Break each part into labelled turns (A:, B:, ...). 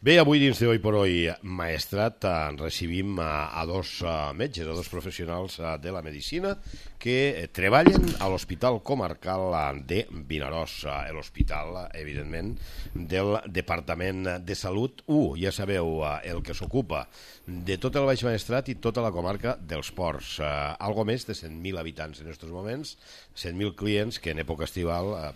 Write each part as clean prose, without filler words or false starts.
A: Bé, avui dins de Hoy por Hoy Maestrat recibim a dos metges, a dos professionals de la medicina que treballen a l'Hospital Comarcal de Vinaròs, l'hospital, evidentment, del Departament de Salut 1. Ja sabeu, el que s'ocupa de tot el Baix Maestrat i tota la comarca dels Ports. Algo més de 100.000 habitants en aquests moments, 100.000 clients que en època estival,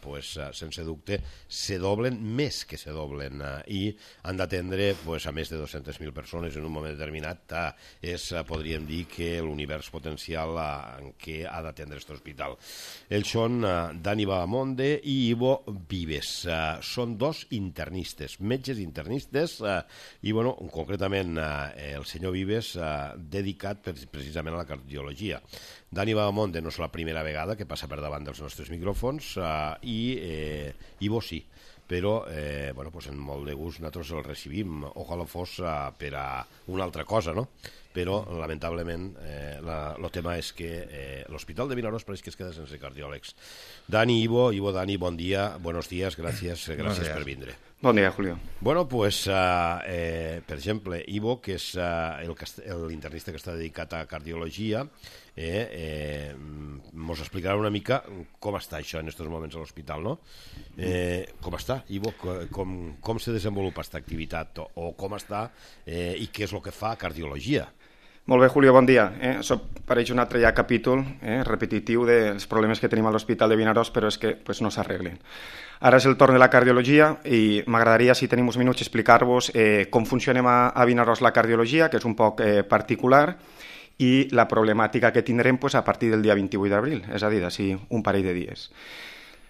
A: sense dubte, se doblen, més que se doblen, i han d'atendre a més de 200.000 persones en un moment determinat. Podríem dir que l'univers potencial en què ha d'atendre aquest hospital. Ells són Dani Bahamonde i Ivo Vives. Són dos internistes, metges internistes, i concretament el senyor Vives dedicat precisament a la cardiologia. Dani Bahamonde no és la primera vegada que passa per davant dels nostres micròfons, i Ivo sí, però en molt de gust nosaltres el recibim. Ojalà fos per a una altra cosa, no? Però lamentablement el tema és que l'Hospital de Vinaròs pareix que es queda sense cardiòlegs. Dani, Ivo, Dani, bon dia, buenos días, gràcies per vindre.
B: Bon dia, Julio.
A: Bueno, pues, per exemple, Ivo, que és l'internista que està dedicat a cardiologia, mos explicarà una mica com està això en aquests moments a l'hospital, no? Com està, Ivo? Com se desenvolupa aquesta activitat? O com està i què és el que fa cardiologia?
B: Molt bé, Julio, bon dia. Això pareix un altre ja capítol repetitiu dels problemes que tenim a l'Hospital de Vinaròs, però és que no s'arreglen. Ara és el torn de la cardiologia i m'agradaria, si tenim uns minuts, explicar-vos com funcionem a Vinaròs la cardiologia, que és un poc particular, i la problemàtica que tindrem a partir del dia 28 d'abril, és a dir, d'ací un parell de dies.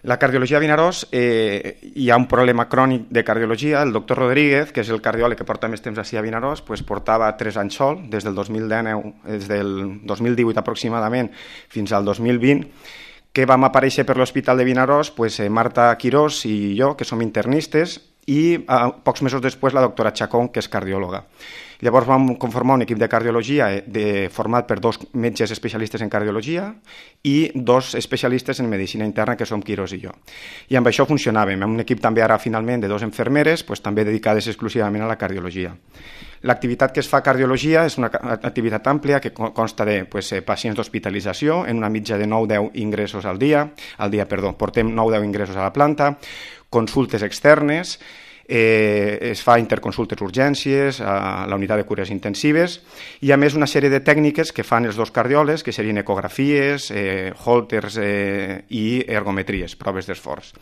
B: La cardiologia a Vinaròs, hi ha un problema crònic de cardiologia. El doctor Rodríguez, que és el cardiòleg que porta més temps a Vinaròs, portava 3 anys sol, des del 2018 aproximadament fins al 2020, que vam aparèixer per l'Hospital de Vinaròs, Marta Quirós i jo, que som internistes, i pocs mesos després la doctora Chacón, que és cardiòloga. Llavors vam conformar un equip de cardiologia format per 2 metges especialistes en cardiologia i 2 especialistes en medicina interna, que som Quirós i jo. I amb això funcionàvem, amb un equip també ara finalment de 2 infermeres, també dedicades exclusivament a la cardiologia. L'activitat que es fa a cardiologia és una activitat àmplia que consta de pacients d'hospitalització, en una mitja de 9-10 ingressos al dia, portem 9-10 ingressos a la planta, consultes externes, es fa interconsultes urgències a la unitat de cures intensives i a més una sèrie de tècniques que fan els 2 cardiòlegs, que serien ecografies, hòlters i ergometries, proves d'esforç.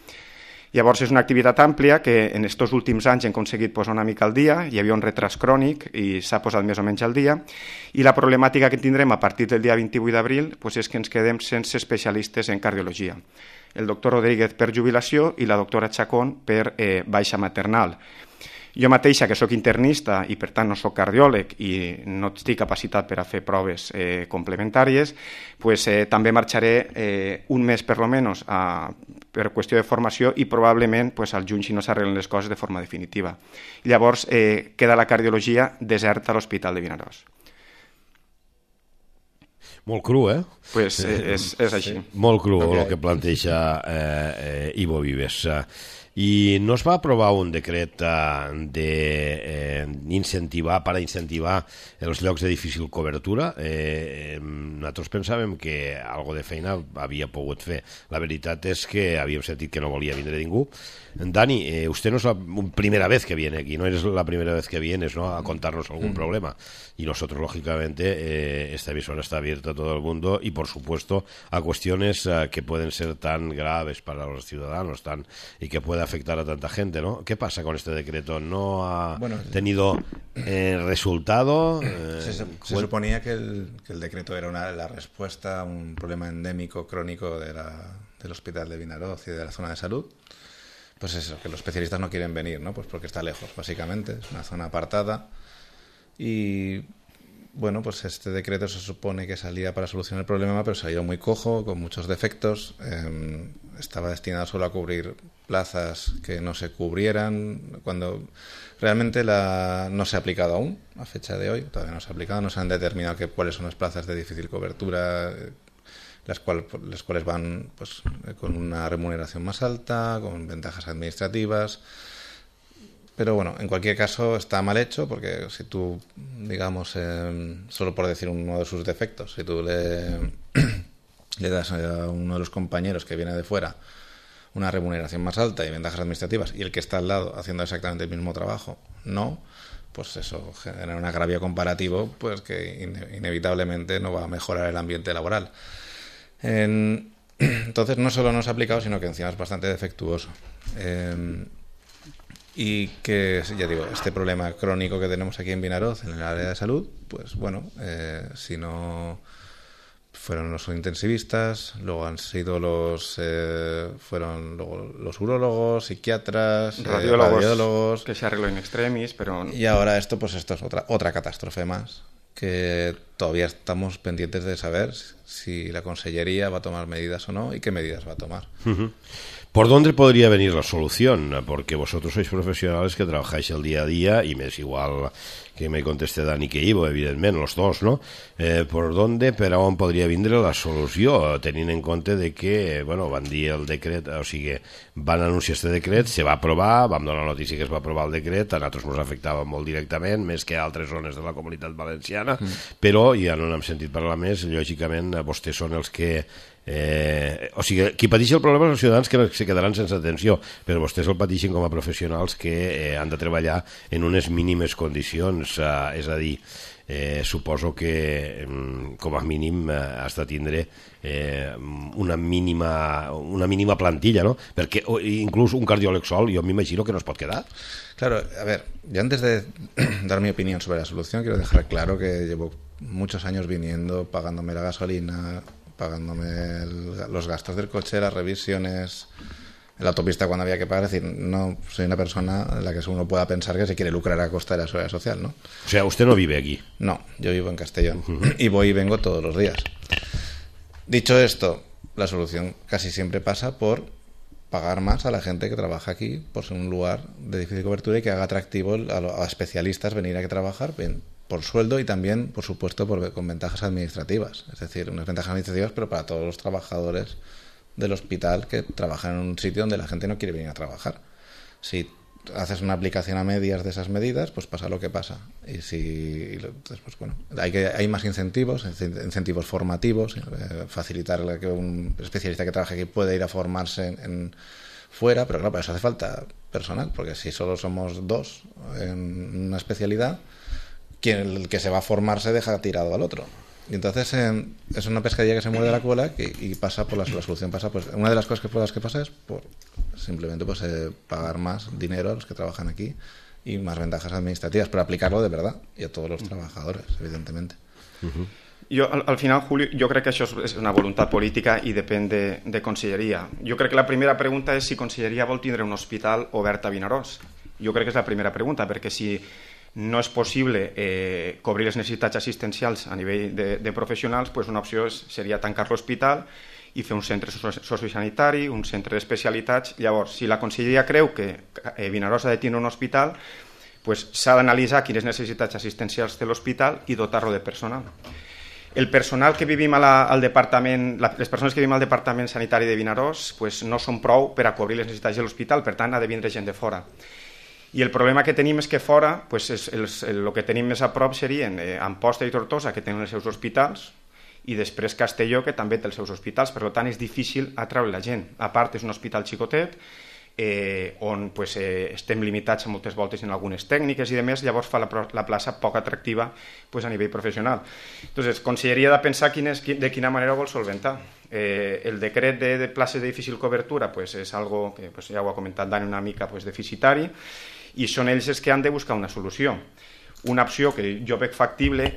B: Llavors és una activitat àmplia que en aquests últims anys hem aconseguit posar una mica al dia, hi havia un retras crònic i s'ha posat més o menys al dia, i la problemàtica que tindrem a partir del dia 28 d'abril és que ens quedem sense especialistes en cardiologia. El doctor Rodríguez per jubilació i la doctora Chacón per baixa maternal. Jo mateixa, que sóc internista i per tant no sóc cardiòleg i no estic capacitat per a fer proves complementàries, també marxaré un mes per almenys per qüestió de formació i probablement al juny si no s'arreglen les coses de forma definitiva. Llavors queda la cardiologia deserta a l'Hospital de Vinaròs.
A: Molt cru,
B: És així.
A: Molt cru el que planteja Ivo Vives. I no es va aprovar un decret per incentivar els llocs de difícil cobertura? Nosaltres pensàvem que algo de feina havia pogut fer. La veritat és que havíem sentit que no volia vindre ningú. Dani, usted no es la primera vez que viene aquí, no eres la primera vez que vienes, ¿no?, a contarnos algún problema. Y nosotros, lógicamente, esta emisora está abierta a todo el mundo y, por supuesto, a cuestiones que pueden ser tan graves para los ciudadanos y que puede afectar a tanta gente, ¿no? ¿Qué pasa con este decreto? ¿No ha tenido resultado?
C: Se suponía que el decreto era la respuesta a un problema endémico crónico del Hospital de Vinaròs y de la zona de salud. Pues eso, que los especialistas no quieren venir, ¿no? Pues porque está lejos, básicamente, es una zona apartada. Y este decreto se supone que salía para solucionar el problema, pero salió muy cojo, con muchos defectos. Estaba destinado solo a cubrir plazas que no se cubrieran, cuando realmente no se ha aplicado aún, a fecha de hoy, todavía no se ha aplicado, no se han determinado cuáles son las plazas de difícil cobertura, las cuales van con una remuneración más alta, con ventajas administrativas. Pero bueno, en cualquier caso está mal hecho porque si tú, digamos, solo por decir uno de sus defectos, si tú le das a uno de los compañeros que viene de fuera una remuneración más alta y ventajas administrativas y el que está al lado haciendo exactamente el mismo trabajo no, pues eso genera un agravio comparativo pues que inevitablemente no va a mejorar el ambiente laboral. Entonces no solo no se ha aplicado, sino que encima es bastante defectuoso. Y que, ya digo, este problema crónico que tenemos aquí en Vinaroz, en el área de salud, pues bueno, si no fueron los intensivistas, luego han sido fueron luego los urólogos, psiquiatras, radiólogos,
B: que se arregló in extremis, pero...
C: Y ahora esto es otra catástrofe más, que todavía estamos pendientes de saber si la Consellería va a tomar medidas o no y qué medidas va a tomar.
A: ¿Por dónde podría venir la solución? Porque vosotros sois profesionales que trabajáis el día a día y me es igual que me conteste Dani que Ivo, evidentment, los dos, no? Per on podria vindre la solució, tenint en compte de que, bueno, van dir el decret, o sigui, van anunciar este decret, se va aprovar, vam donar la notícia que es va aprovar el decret, a nosaltres ens afectava molt directament, més que a altres zones de la comunitat valenciana, però ja no n'hem sentit parlar més, lògicament vostès són els que o sigui, qui pateix el problema són els ciutadans que se quedaran sense atenció, però vostès el pateixen com a professionals que han de treballar en unes mínimes condicions, és a dir, suposo que com a mínim has de tindre una mínima plantilla, ¿no? Perquè inclús un cardiòleg sol jo m'imagino que no es pot quedar.
C: Claro, a ver, yo antes de dar mi opinión sobre la solución quiero dejar claro que llevo muchos años viniendo, pagándome la gasolina, pagándome los gastos del coche, las revisiones en la autopista cuando había que pagar. Es decir, no soy una persona en la que uno pueda pensar que se quiere lucrar a costa de la seguridad social, ¿no?
A: O sea, usted no vive aquí.
C: No, yo vivo en Castellón y voy y vengo todos los días. Dicho esto, la solución casi siempre pasa por pagar más a la gente que trabaja aquí por ser un lugar de difícil cobertura y que haga atractivo a especialistas venir aquí a trabajar por sueldo y también, por supuesto, con ventajas administrativas. Es decir, unas ventajas administrativas, pero para todos los trabajadores del hospital que trabajan en un sitio donde la gente no quiere venir a trabajar. Si haces una aplicación a medias de esas medidas, pues pasa lo que pasa. Y pues bueno, hay más incentivos formativos, facilitar que un especialista que trabaje aquí pueda ir a formarse fuera, pero claro, para eso hace falta personal, porque si solo somos dos en una especialidad, el que se va a formar se deja tirado al otro. Y entonces es una pescadilla que se muerde la cola y pasa por la solución pasa, pues una de las cosas por las que pasa es por simplemente pues pagar más dinero a los que trabajan aquí y más ventajas administrativas, pero aplicarlo de verdad y a todos los trabajadores, evidentemente.
B: Jo, al final, Julio, jo crec que això és una voluntat política i depèn de Conselleria. Jo crec que la primera pregunta és si Conselleria vol tindre un hospital obert a Vinaròs. Jo crec que és la primera pregunta, perquè si no és possible cobrir les necessitats assistencials a nivell de professionals, pues una opció seria tancar l'hospital i fer un centre sociosanitari, un centre d'especialitats. Llavors, si la Conselleria creu que Vinaròs ha de tenir un hospital, pues s'ha d'analitzar quines necessitats assistencials té l'hospital i dotar-lo de personal. El personal que vivim al departament, les persones que vivim al departament sanitari de Vinaròs, pues no són prou per a cobrir les necessitats de l'hospital, per tant ha de vindre gent de fora. I el problema que tenim és que fora, pues el que tenim més a prop serien Amposta i Tortosa, que tenen els seus hospitals, i després Castelló, que també té els seus hospitals. Per tant, és difícil atraure la gent. A part, és un hospital xicotet, on pues, estem limitats a moltes voltes en algunes tècniques i demés, llavors fa la plaça poc atractiva pues, a nivell professional. Entonces, Conselleria ha de pensar de quina manera ho vol solventar. El decret de places de difícil cobertura pues, és algo que pues, ja ho ha comentat Dani una mica pues, deficitari, i són ells els que han de buscar una solució. Una opció que jo veig factible,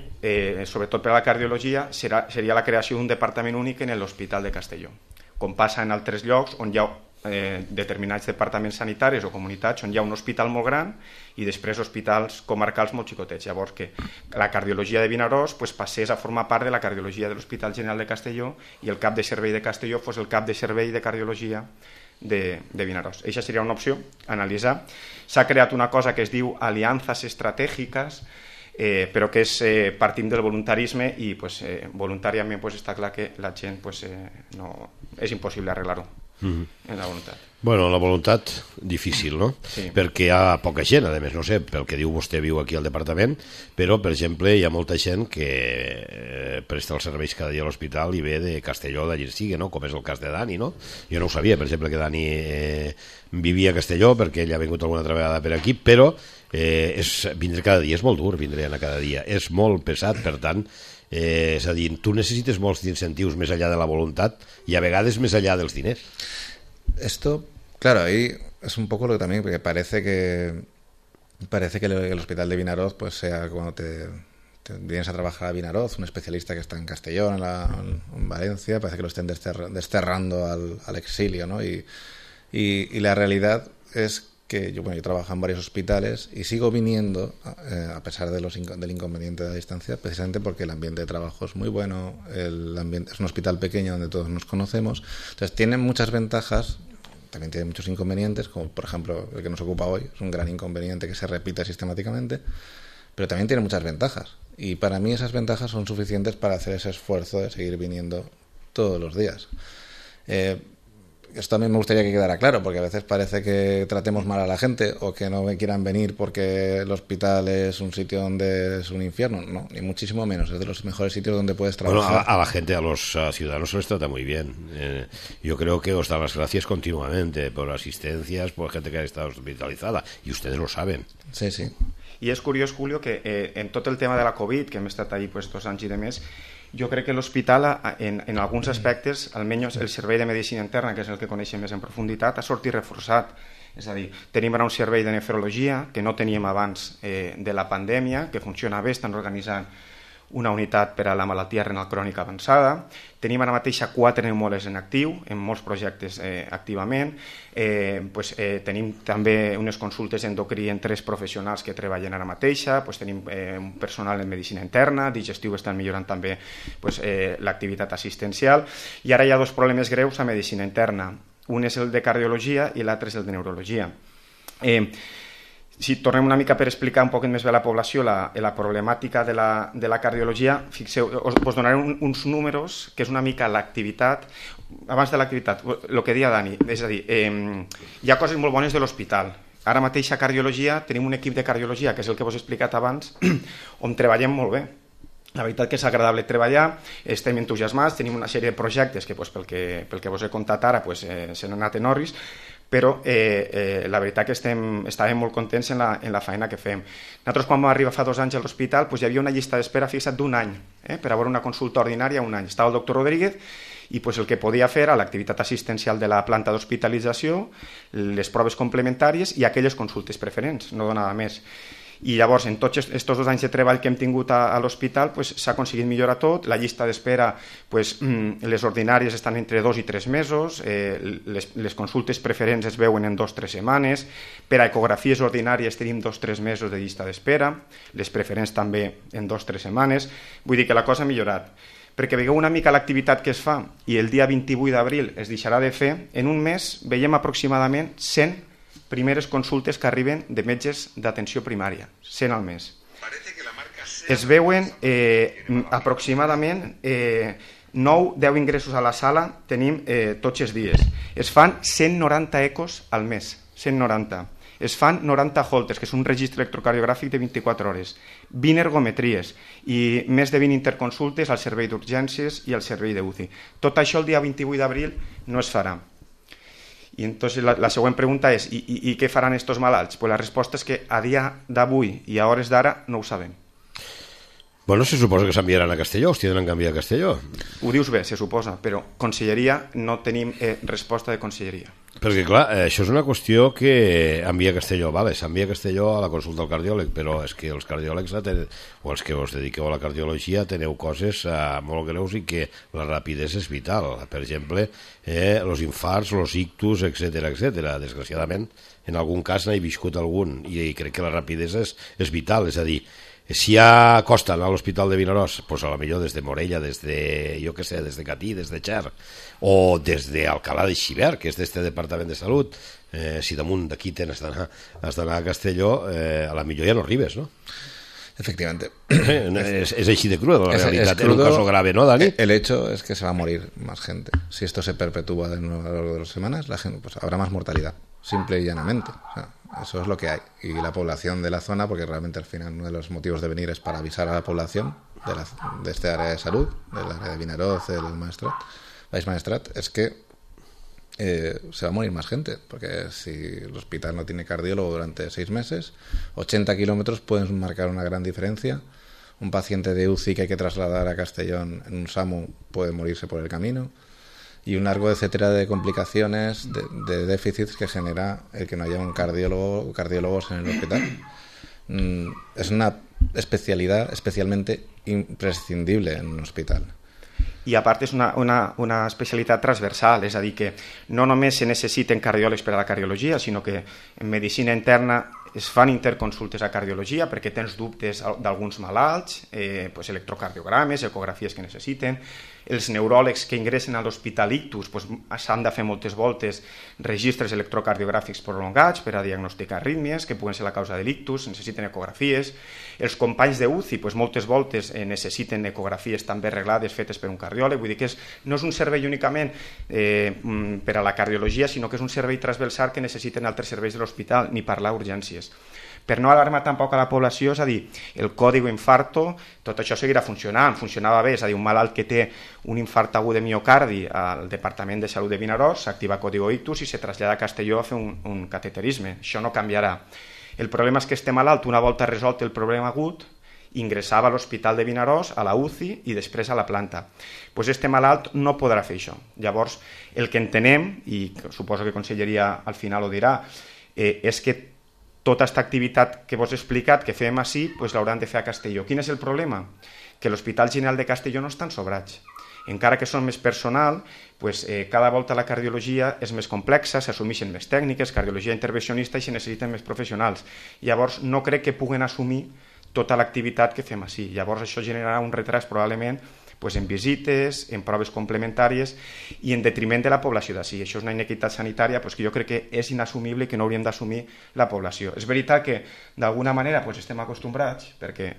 B: sobretot per a la cardiologia, seria la creació d'un departament únic en l'Hospital de Castelló, com passa en altres llocs on hi ha determinats departaments sanitaris o comunitats on hi ha un hospital molt gran i després hospitals comarcals molt xicotets. Llavors que la cardiologia de Vinaròs pues, passés a formar part de la cardiologia de l'Hospital General de Castelló i el cap de servei de Castelló fos el cap de servei de cardiologia de Vinaròs. Això seria una opció, analitzar. S'ha creat una cosa que es diu aliances estratègiques, però que partim del voluntarisme i pues, voluntàriament pues, està clar que la gent pues, no, és impossible arreglar-ho. en la voluntat.
A: Bueno, la voluntat, difícil, no?
B: Sí.
A: Perquè hi ha poca gent, a més, no sé, pel que diu vostè, viu aquí al departament, però, per exemple, hi ha molta gent que presta els serveis cada dia a l'hospital i ve de Castelló, d'allí sigui, no? Com és el cas de Dani, no? Jo no ho sabia, per exemple, que Dani vivia a Castelló, perquè ell ha vingut alguna altra vegada per aquí, però vindre cada dia és molt dur, vindre a cada dia. És molt pesat, per tant, és a dir, tu necessites molts incentius més enllà de la voluntat i a vegades més enllà dels diners.
C: Esto, claro, ahí es un poco lo que también, porque parece que el hospital de Vinaroz, pues sea cuando te vienes a trabajar a Vinaroz, un especialista que está en Castellón, en Valencia, parece que lo estén desterrando al exilio, ¿no? Y la realidad es que yo trabajo en varios hospitales y sigo viniendo, a pesar de del inconveniente de la distancia, precisamente porque el ambiente de trabajo es muy bueno, el ambiente es un hospital pequeño donde todos nos conocemos, entonces tiene muchas ventajas, también tiene muchos inconvenientes, como por ejemplo el que nos ocupa hoy, es un gran inconveniente que se repite sistemáticamente, pero también tiene muchas ventajas, y para mí esas ventajas son suficientes para hacer ese esfuerzo de seguir viniendo todos los días. Esto también me gustaría que quedara claro, porque a veces parece que tratemos mal a la gente o que no quieran venir porque el hospital es un sitio donde es un infierno. No, ni muchísimo menos. Es de los mejores sitios donde puedes trabajar.
A: Bueno, a la gente, a los ciudadanos se les trata muy bien. Yo creo que os dan las gracias continuamente por asistencias, por gente que ha estado hospitalizada. Y ustedes lo saben.
C: Sí, sí.
B: I és curiós, Julio, que en tot el tema de la Covid, que hem estat allí 2 anys i de més, jo crec que l'hospital, en alguns aspectes, almenys el servei de medicina interna, que és el que coneixem més en profunditat, ha sortit reforçat. És a dir, tenim ara un servei de nefrologia que no teníem abans de la pandèmia, que funciona bé, estan organitzant una unitat per a la malaltia renal crònica avançada. Tenim ara mateix 4 pneumòlegs en actiu, en molts projectes activament. Tenim també unes consultes endocrí en 3 professionals que treballen ara mateixa. Tenim un personal en medicina interna, digestiu estan millorant també l'activitat assistencial. I ara hi ha 2 problemes greus a medicina interna. Un és el de cardiologia i l'altre és el de neurologia. Si tornem una mica per explicar un poc més bé a la població la problemàtica de la cardiologia, fixeu, us donaré uns números que és una mica l'activitat, abans de l'activitat, el que deia Dani, és a dir, hi ha coses molt bones de l'hospital. Ara mateix a cardiologia tenim un equip de cardiologia, que és el que vos he explicat abans, on treballem molt bé. La veritat que és agradable treballar, estem entusiasmats, tenim una sèrie de projectes que pel que vos he contat ara se n'han anat en orris, però la veritat que estàvem molt contents en la feina que fem. Nosaltres quan vam arribar fa 2 anys a l'hospital hi havia una llista d'espera fixat d'1 any per a veure una consulta ordinària, 1 any. Estava el doctor Rodríguez i el que podia fer era l'activitat assistencial de la planta d'hospitalització, les proves complementàries i aquelles consultes preferents, no donava més. I llavors, en tots aquests 2 anys de treball que hem tingut a l'hospital, s'ha aconseguit millorar tot. La llista d'espera, les ordinàries estan entre 2 i 3 mesos, les consultes preferents es veuen en 2 o 3 setmanes, per a ecografies ordinàries tenim 2 o 3 mesos de llista d'espera, les preferents també en 2 o 3 setmanes. Vull dir que la cosa ha millorat. Perquè veieu una mica l'activitat que es fa i el dia 28 d'abril es deixarà de fer, en un mes veiem aproximadament 100 primeres consultes que arriben de metges d'atenció primària, 100 al mes. Es veuen aproximadament 9-10 ingressos a la sala, tenim tots els dies. Es fan 190 ecos al mes, 190. Es fan 90 holters, que és un registre electrocardiogràfic de 24 hores, 20 ergometries i més de 20 interconsultes al servei d'urgències i al servei d'UCI. Tot això el dia 28 d'abril no es farà. I entonces la següent pregunta és ¿y què faran estos malalts? Pues la resposta és que a dia d'avui i a hores d'ara no ho sabem.
A: Bueno, se suposa que s'enviaran a Castelló, els tindran que enviar a Castelló.
B: Ho dius bé, se suposa, però conselleria no tenim resposta de conselleria.
A: Perquè, clar, això és una qüestió que envia a Castelló, vale, s'envia a Castelló a la consulta del cardiòleg, però és que els cardiòlegs, o els que us dediqueu a la cardiologia, teniu coses molt greus i que la rapidesa és vital. Per exemple, els infarts, els ictus, etc. Desgraciadament, en algun cas n'he viscut algun i crec que la rapidesa és vital, és a dir, si ja costen a l'Hospital de Vinaròs, doncs a la millor des de Morella, des de, jo què sé, des de Catí, des de Xer, o des d'Alcalà de Xivert, que és d'este Departament de Salut, si damunt d'aquí has d'anar a Castelló, a la millor ja no arribes, no?
C: Efectivamente.
A: Es així de crudo, la realidad.
C: crudo.
A: En un caso grave, ¿no, Dani?
C: El hecho es que se va a morir más gente. Si esto se perpetúa de nuevo a lo largo de las semanas, la gente, pues habrá más mortalidad, simple y llanamente. O sea, eso es lo que hay. Y la población de la zona, porque realmente al final uno de los motivos de venir es para avisar a la población de este área de salud, del área de Vinaroz, del Baix Maestrat, es que se va a morir más gente, porque si el hospital no tiene cardiólogo durante 6 meses, 80 kilómetros pueden marcar una gran diferencia. Un paciente de UCI que hay que trasladar a Castellón en un SAMU puede morirse por el camino, y un largo etcétera de complicaciones, de déficits que genera el que no haya un cardiólogo o cardiólogos en el hospital. Es una especialidad especialmente imprescindible en un hospital.
B: I a part és una especialitat transversal, és a dir, que no només se necessiten cardiòlegs per a la cardiologia, sinó que en medicina interna es fan interconsultes a cardiologia perquè tens dubtes d'alguns malalts, pues electrocardiogrames, ecografies que necessiten. Els neuròlegs que ingressen a l'hospital ictus pues, s'han de fer moltes voltes registres electrocardiogràfics prolongats per a diagnosticar arrítmies que puguen ser la causa de l'ictus, necessiten ecografies. Els companys de UCI pues, moltes voltes necessiten ecografies també reglades fetes per un cardiòleg, vull dir que no és un servei únicament per a la cardiologia, sinó que és un servei transversal que necessiten altres serveis de l'hospital, ni parlar urgències. Per no alarmar tampoc a la població, és a dir, el còdigo infarto, tot això seguirà funcionant, funcionava bé, és a dir, un malalt que té un infart agut de miocardi al Departament de Salut de Vinaròs, s'activa còdigo ictus i se trasllada a Castelló a fer un cateterisme, això no canviarà. El problema és que este malalt, una volta resolt el problema agut, ingressava a l'Hospital de Vinaròs, a la UCI i després a la planta. Pues este malalt no podrà fer això. Llavors, el que entenem, i suposo que Conselleria al final ho dirà, és que tota aquesta activitat que vos he explicat, que fem així, pues l'hauran de fer a Castelló. Quin és el problema? Que l'Hospital General de Castelló no estan sobrats. Encara que són més personal, pues, cada volta la cardiologia és més complexa, s'assumeixen més tècniques, cardiologia intervencionista, i se necessiten més professionals. Llavors, no crec que puguen assumir tota l'activitat que fem així. Llavors, això generarà un retras probablement pues, en visites, en proves complementàries i en detriment de la població d'ací. Això és una inequitat sanitària pues, que jo crec que és inassumible i que no hauríem d'assumir la població. És veritat que d'alguna manera pues, estem acostumbrats, perquè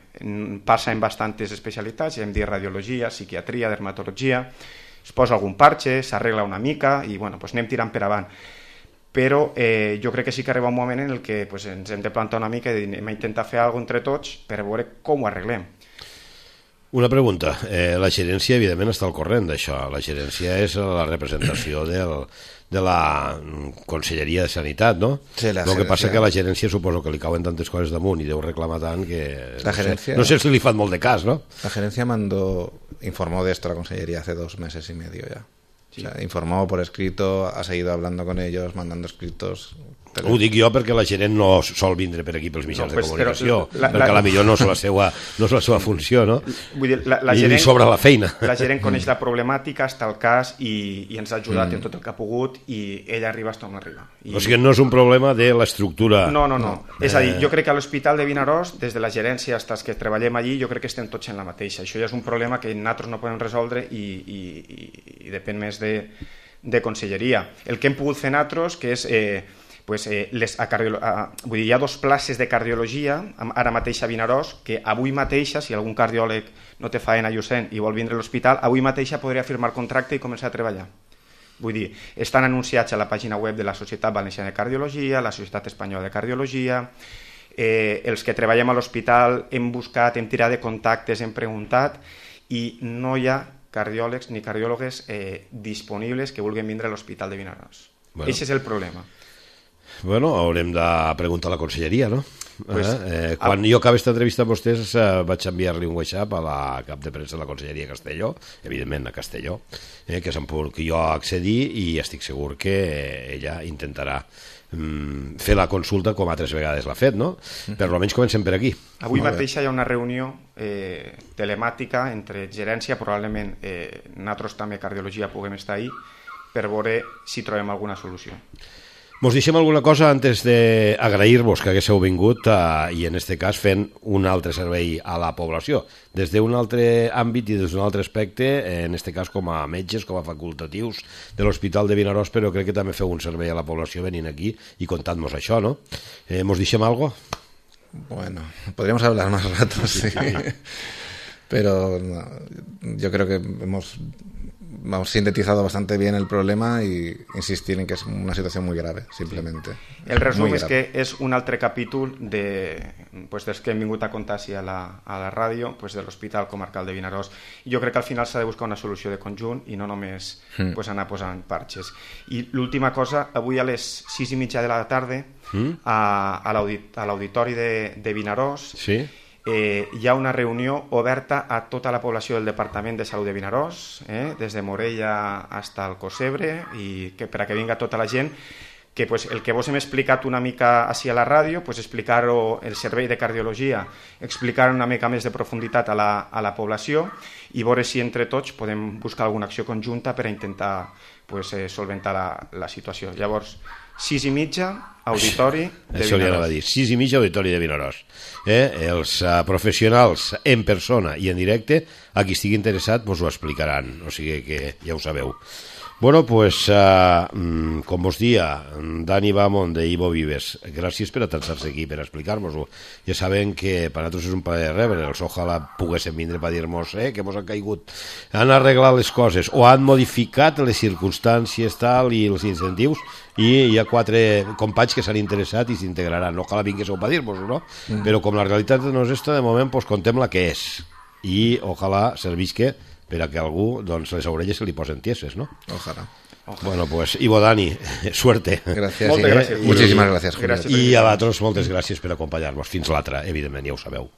B: passa en bastantes especialitats, ja hem dit radiologia, psiquiatria, dermatologia, es posa algun parche, s'arregla una mica i bueno, pues, anem tirant per avant. Però jo crec que sí que arriba un moment en el que pues, ens hem de plantar una mica i anem a intentar fer alguna cosa entre tots per veure com ho arreglem.
A: Una pregunta. La gerència, evidentment, està al corrent d'això. La gerència és la representació de la Conselleria de Sanitat, no?
C: Sí,
A: el que passa que la gerència suposo que li cauen tantes coses damunt i deu reclamar tant que...
C: La
A: no sé si li fan molt de cas, ¿no?
C: La gerencia informó de esto a la Consellería hace 2 meses y medio ya. Sí. O sea, informó por escrito, ha seguido hablando con ellos, mandando escritos...
A: Ho dic jo perquè la gerent no sol vindre per aquí pels mitjans de comunicació, perquè a la millor no és la seva funció, no?
B: Vull dir,
A: I li sobra la feina.
B: La gerent coneix la problemàtica, està al cas i ens ha ajudat en tot el que ha pogut i ella arriba hasta on arriba.
A: O sigui, no és un problema de l'estructura...
B: No. És a dir, jo crec que a l'Hospital de Vinaròs, des de la gerència fins que treballem allí, jo crec que estem tots en la mateixa. Això ja és un problema que nosaltres no podem resoldre i depèn més de conselleria. El que hem pogut fer nosaltres, que és... Vull dir, hi ha 2 places de cardiologia ara mateix a Vinaròs que avui mateixa, si algun cardiòleg no té faena a Llucent i vol vindre a l'hospital, avui mateixa podria firmar contracte i començar a treballar. Vull dir, estan anunciats a la pàgina web de la Societat Valenciana de Cardiologia, la Societat Espanyola de Cardiologia, els que treballem a l'hospital hem buscat, hem tirat de contactes, hem preguntat i no hi ha cardiòlegs ni cardiòlogues disponibles que vulguin vindre a l'Hospital de Vinaròs. Bueno. Aquest és el problema.
A: Bueno, haurem de preguntar a la conselleria, no? Quan jo acabé aquesta entrevista amb vostès vaig enviar-li un WhatsApp a la cap de premsa de la Conselleria de Castelló, evidentment a Castelló, que és on jo accedir i estic segur que ella intentarà fer la consulta com altres vegades l'ha fet, no? Però almenys comencem per aquí.
B: Avui mateix hi ha una reunió telemàtica entre gerència, probablement nosaltres també cardiologia puguem estar ahí per veure si trobem alguna solució.
A: Mos deixem alguna cosa antes d'agrair-vos que haguéssiu vingut i en este cas fent un altre servei a la població, des d'un altre àmbit i des d'un altre aspecte, en este cas com a metges, com a facultatius de l'Hospital de Vinaròs, però crec que també feu un servei a la població venint aquí i contant-nos això, no? Mos deixem alguna cosa?
C: Bueno, podríamos hablar más ratos, sí. Pero no, yo creo que hemos sintetizado bastante bien el problema i insistir en que és una situació molt grave, simplement.
B: El resum és que és un altre capítol dels que hem vingut a contar a la ràdio, de l'Hospital Comarcal de Vinaròs. Jo crec que al final s'ha de buscar una solució de conjunt i no només anar posant parxes. I l'última cosa, avui a les 6:30 de la tarda a l'auditori de Vinaròs hi ha una reunió oberta a tota la població del Departament de Salut de Vinaròs, des de Morella fins al Cosebre, i per a que vinga tota la gent, que el que vos hem explicat una mica així a la ràdio, explicar-ho el servei de cardiologia, explicar una mica més de profunditat a la població i veure si entre tots podem buscar alguna acció conjunta per a intentar solventar la situació. Llavors, 6:30, auditori de Vinaròs.
A: Això li anava a dir, 6:30, auditori de Vinaròs. Els professionals en persona i en directe, a qui estigui interessat, vos ho explicaran, o sigui que ja ho sabeu. Bueno, pues, com vos dia, Dani Bamon de Ivo Vives, gràcies per atançar-se aquí, per explicar-nos-ho. Ja sabem que per nosaltres és un plaer rebre'ls, ojalà poguéssim vindre per dir-nos que mos han caigut, han arreglat les coses o han modificat les circumstàncies tal i els incentius, i hi ha 4 companys que s'han interessat i s'integraran. Ojalà vinguéssiu per dir-nos-ho, no? Però com la realitat no és esta, de moment contem la que és i ojalà servisca per a que algú, les orelles se li posen tieses, ¿no?
C: Ojalá.
A: Bueno, pues, Ivo, Dani, suerte.
C: Gracias. Moltes gràcies. Muchísimas gracias.
A: I a vosaltres, moltes gràcies per acompanyar-nos. Fins l'altra, evidentment, ja ho sabeu.